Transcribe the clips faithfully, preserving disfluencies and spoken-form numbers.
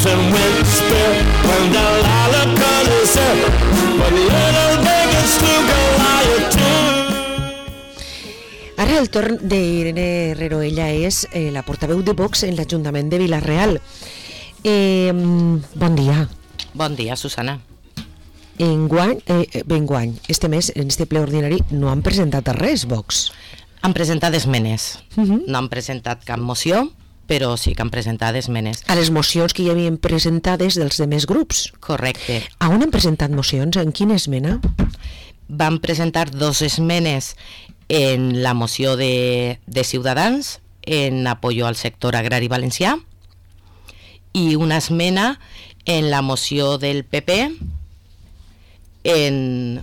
whispers and whisper when Delilah calls her, but little Vegas to Goliath too. Ara el torn d'Irene Herrero. Ella és eh, la portaveu de Vox en l'Ajuntament de Vila-real. Eh, bon dia. Bon dia, Susana. Enguany, eh, enguany, este mes, en este ple ordinari, no han presentat res, Vox. Han presentat esmenes. Uh -huh. No han presentat cap moció, però sí que han presentat esmenes. A les mocions que hi havien presentades dels demés grups. Correcte. A on han presentat mocions? En quina esmena? Van presentar dos esmenes en la moció de, de Ciutadans en apoyo al sector agrari valencià i una esmena en la moció del P P en,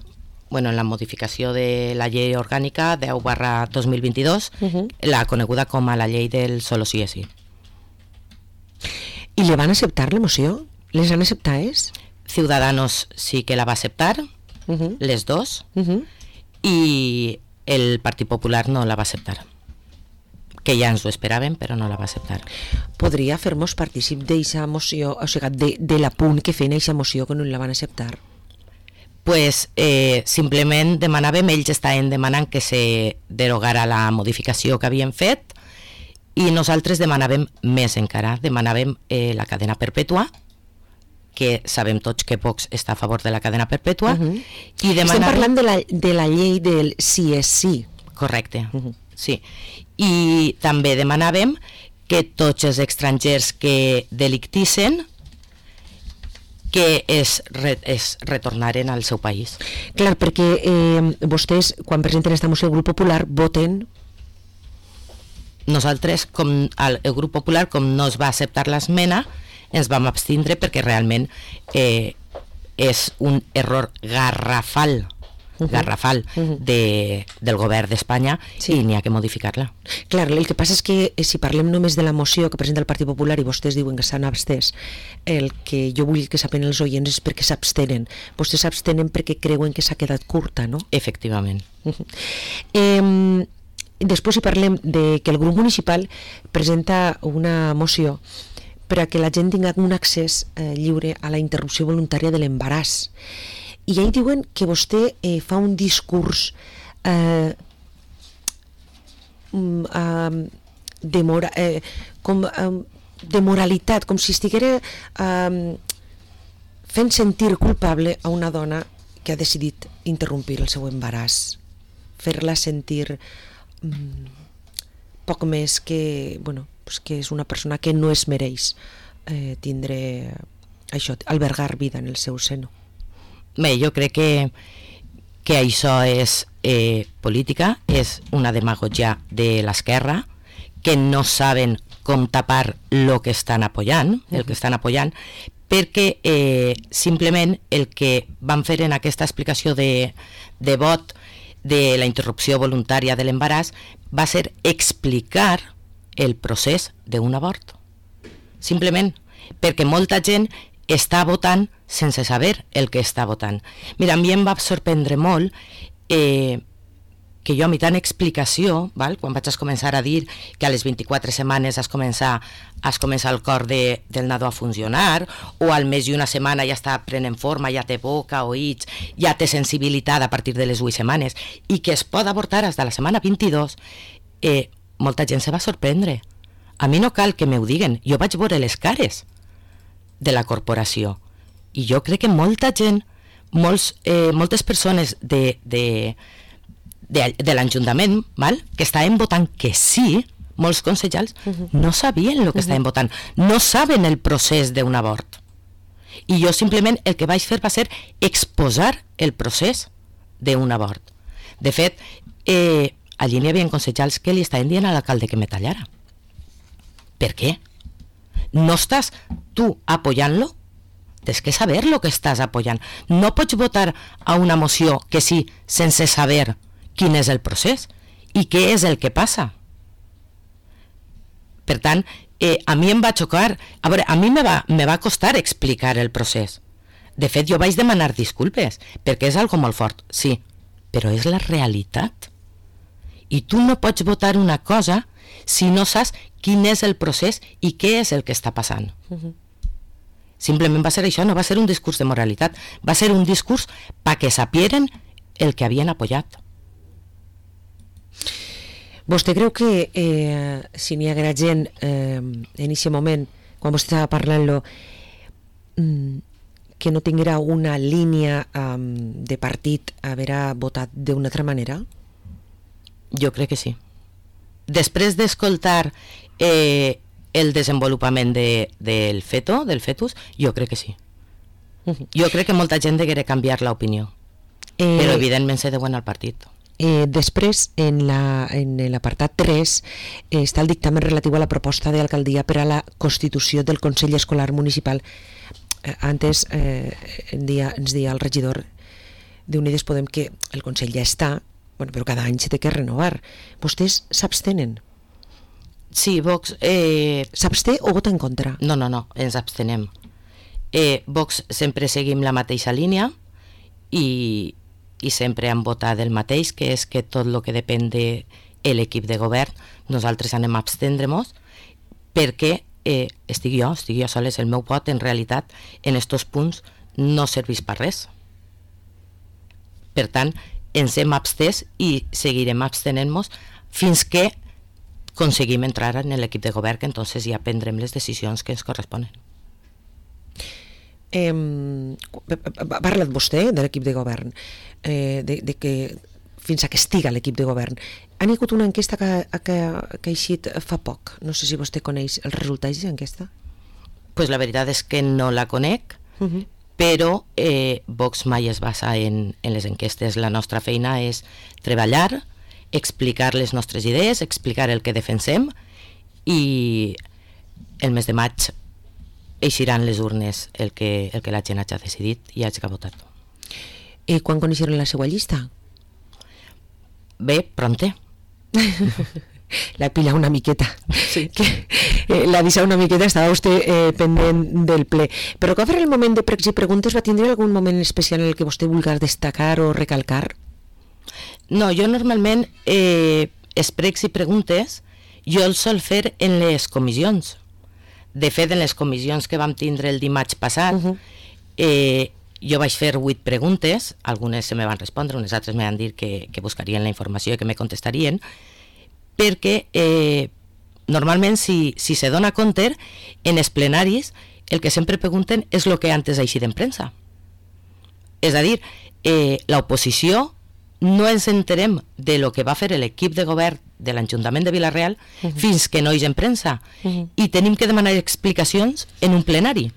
bueno, en la modificació de la llei orgànica deu barra dos mil vint-i-dos, uh-huh. la coneguda com a la llei del solo sí és sí. I le van acceptar la moció? Les han acceptades? Ciudadanos sí que la va acceptar, uh-huh. les dos, uh-huh. i el Partit Popular no la va acceptar, que ja ens ho esperàvem, però no la va acceptar. Podria fer-nos partícip d'eixa moció, o sigui, de, de l'apunt que feien eixa moció que no la van acceptar? Pues eh, simplement demanàvem, ells estaven demanant que se derogara la modificació que havien fet i nosaltres demanàvem més encara, demanàvem eh, la cadena perpètua, que sabem tots que Vox està a favor de la cadena perpètua. Uh-huh. I demanàvem... Estem parlant de la, de la llei del sí és sí. Correcte, uh-huh. sí. I també demanàvem que tots els estrangers que delictissen que es, re, es retornaren al seu país. Clar, perquè eh, vostès, quan presenten esta moció, el grup popular, voten... Nosaltres, com el, el grup popular, com no es va acceptar l'esmena, ens vam abstindre perquè realment eh, és un error garrafal, uh-huh. garrafal uh-huh. de, del govern d'Espanya, sí. I n'hi ha que modificar-la. Clar, el que passa és que eh, si parlem només de la moció que presenta el Partit Popular i vostès diuen que s'han abstès, el que jo vull que saben els oients és perquè s'abstenen. Vostès s'abstenen perquè creuen que s'ha quedat curta, no? Efectivament. Uh-huh. Eh, després si parlem de que el grup municipal presenta una moció per a que la gent tingui un accés eh, lliure a la interrupció voluntària de l'embaràs. I ahí diuen que vostè eh, fa un discurs eh, eh, de, mora, eh, com, eh, de moralitat, com si estiguera eh, fent sentir culpable a una dona que ha decidit interrompir el seu embaràs, fer-la sentir mm, poc més que, bueno, pues que és una persona que no es mereix eh, tindre això, albergar vida en el seu seno. Bé, jo crec que, que això és eh, política, és una demagogia de l'esquerra, que no saben com tapar el que estan apoyant, el que estan apoyant, perquè eh, simplement el que van fer en aquesta explicació de, de vot de la interrupció voluntària de l'embaràs va ser explicar el procés d'un abort. Simplement perquè molta gent està votant sense saber el que està votant. Mira, a mi em va sorprendre molt eh, que jo a mi tant explicació, val? Quan vaig a començar a dir que a les vint-i-quatre setmanes has començar, has començar el cor de, del nadó a funcionar, o al mes i una setmana ja està prenent forma, ja té boca, oïts, ja té sensibilitat a partir de les vuit setmanes, i que es pot avortar fins a la setmana vint-i-dos, eh, molta gent se va sorprendre. A mi no cal que m'ho diguen, jo vaig veure les cares de la corporació i jo crec que molta gent, molts, eh, moltes persones de, de, de, de l'Ajuntament, val? Que estaven votant que sí, molts consellers, uh-huh. no sabien el que uh-huh. estaven votant, no saben el procés d'un abort. I jo simplement el que vaig fer va ser exposar el procés d'un abort. De fet, eh, allí n'hi havia consellers que li estaven dient a l'alcalde que me tallara. Per què? No estàs tu apoyant-lo? Tens que saber lo que estàs apoyant. No pots votar a una moció que sí, sense saber quin és el procés i què és el que passa. Per tant, eh, a mi em va xocar, a veure, a mi me va, me va costar explicar el procés. De fet, jo vaig demanar disculpes, perquè és algo molt fort, sí, però és la realitat. I tu no pots votar una cosa si no saps quin és el procés i què és el que està passant. Uh-huh. Simplement va ser això, no va ser un discurs de moralitat, va ser un discurs perquè sapieren el que havien apoyat. Vostè creu que eh, si n'hi haguera gent eh, en aquest moment, quan vostè estava parlant-lo, mm, que no tinguera una línia um, de partit, haver votat d'una altra manera? Jo crec que sí. Després d'escoltar eh, el desenvolupament de, del feto, del fetus, jo crec que sí. Uh-huh. Jo crec que molta gent deguera canviar l'opinió, eh, però evidentment se deuen al partit. Eh, després, en la, en l'apartat tres, eh, està el dictamen relatiu a la proposta d'alcaldia per a la constitució del Consell Escolar Municipal. Eh, antes eh, en dia, ens deia el regidor d'Unides Podem que el Consell ja està, bueno, però cada any se té que renovar. Vostès s'abstenen? Sí, Vox... Eh... S'absté o vota en contra? No, no, no, ens abstenem. Eh, Vox sempre seguim la mateixa línia i, i sempre hem votat el mateix, que és que tot el que depèn de l'equip de govern nosaltres anem a abstendre-nos perquè eh, estic jo, estic jo soles, el meu vot en realitat en estos punts no serveix per res. Per tant, ens hem abstès i seguirem abstenent-nos fins que aconseguim entrar en l'equip de govern, que entonces ja prendrem les decisions que ens corresponen. Eh, ha parlat vostè de l'equip de govern, eh, de, de que fins a que estiga l'equip de govern. Han hagut una enquesta que, que, que ha eixit fa poc. No sé si vostè coneix els resultats d'enquesta. Pues la veritat és que no la conec, uh-huh. però eh, Vox mai es basa en, en les enquestes. La nostra feina és treballar, explicar les nostres idees, explicar el que defensem, i el mes de maig eixiran les urnes el que, el que la gent hagi decidit i hagi votat. I quan coneixeron la seva llista? Bé, pronte. La pila una miqueta. Sí. Que, eh, la deixa una miqueta, estava vostè eh, pendent del ple. Però que va fer el moment de pregs i preguntes, va tindre algun moment especial en el que vostè vulgui destacar o recalcar? No, jo normalment eh, els pregs i preguntes jo els sol fer en les comissions. De fet, en les comissions que vam tindre el dimarts passat, uh-huh. eh, jo vaig fer vuit preguntes, algunes se me van respondre, unes altres me van dir que, que buscarien la informació i que me contestarien, perquè eh, normalment si, si se dona compte, en els plenaris el que sempre pregunten és el que antes ha eixit en premsa. És a dir, eh, l'oposició no ens enterem de lo que va fer l'equip de govern de l'Ajuntament de Vila-real uh-huh. fins que no hi en premsa uh-huh. i tenim que demanar explicacions en un plenari.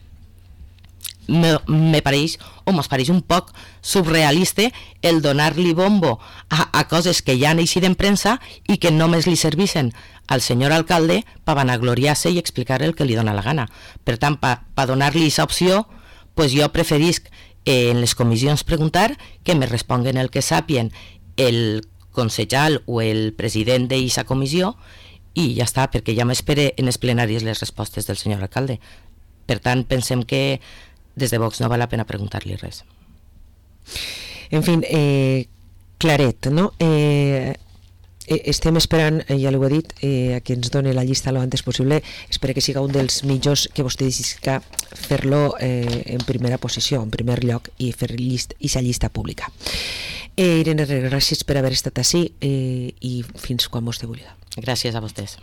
Me, me pareix, o mos pareix un poc surrealista el donar-li bombo a, a coses que ja han eixit en premsa i que només li servissen al senyor alcalde per vanagloriar-se i explicar el que li dona la gana. Per tant, per pa donar-li aquesta opció, pues jo preferisc en les comissions preguntar que me responguen el que sàpien el consellal o el president d'aquesta comissió i ja està, perquè ja m'espere en els plenaris les respostes del senyor alcalde. Per tant, pensem que des de Vox no val la pena preguntar-li res. En fi, eh, claret, no? Eh, estem esperant, eh, ja l'ho he dit, eh, a que ens doni la llista lo antes possible. Espero que siga un dels millors que vostè decidisca fer-lo eh, en primera posició, en primer lloc, i fer llist, i sa llista pública. Eh, Irene, gràcies per haver estat ací eh, i fins quan vostè vulgui. Gràcies a vostès.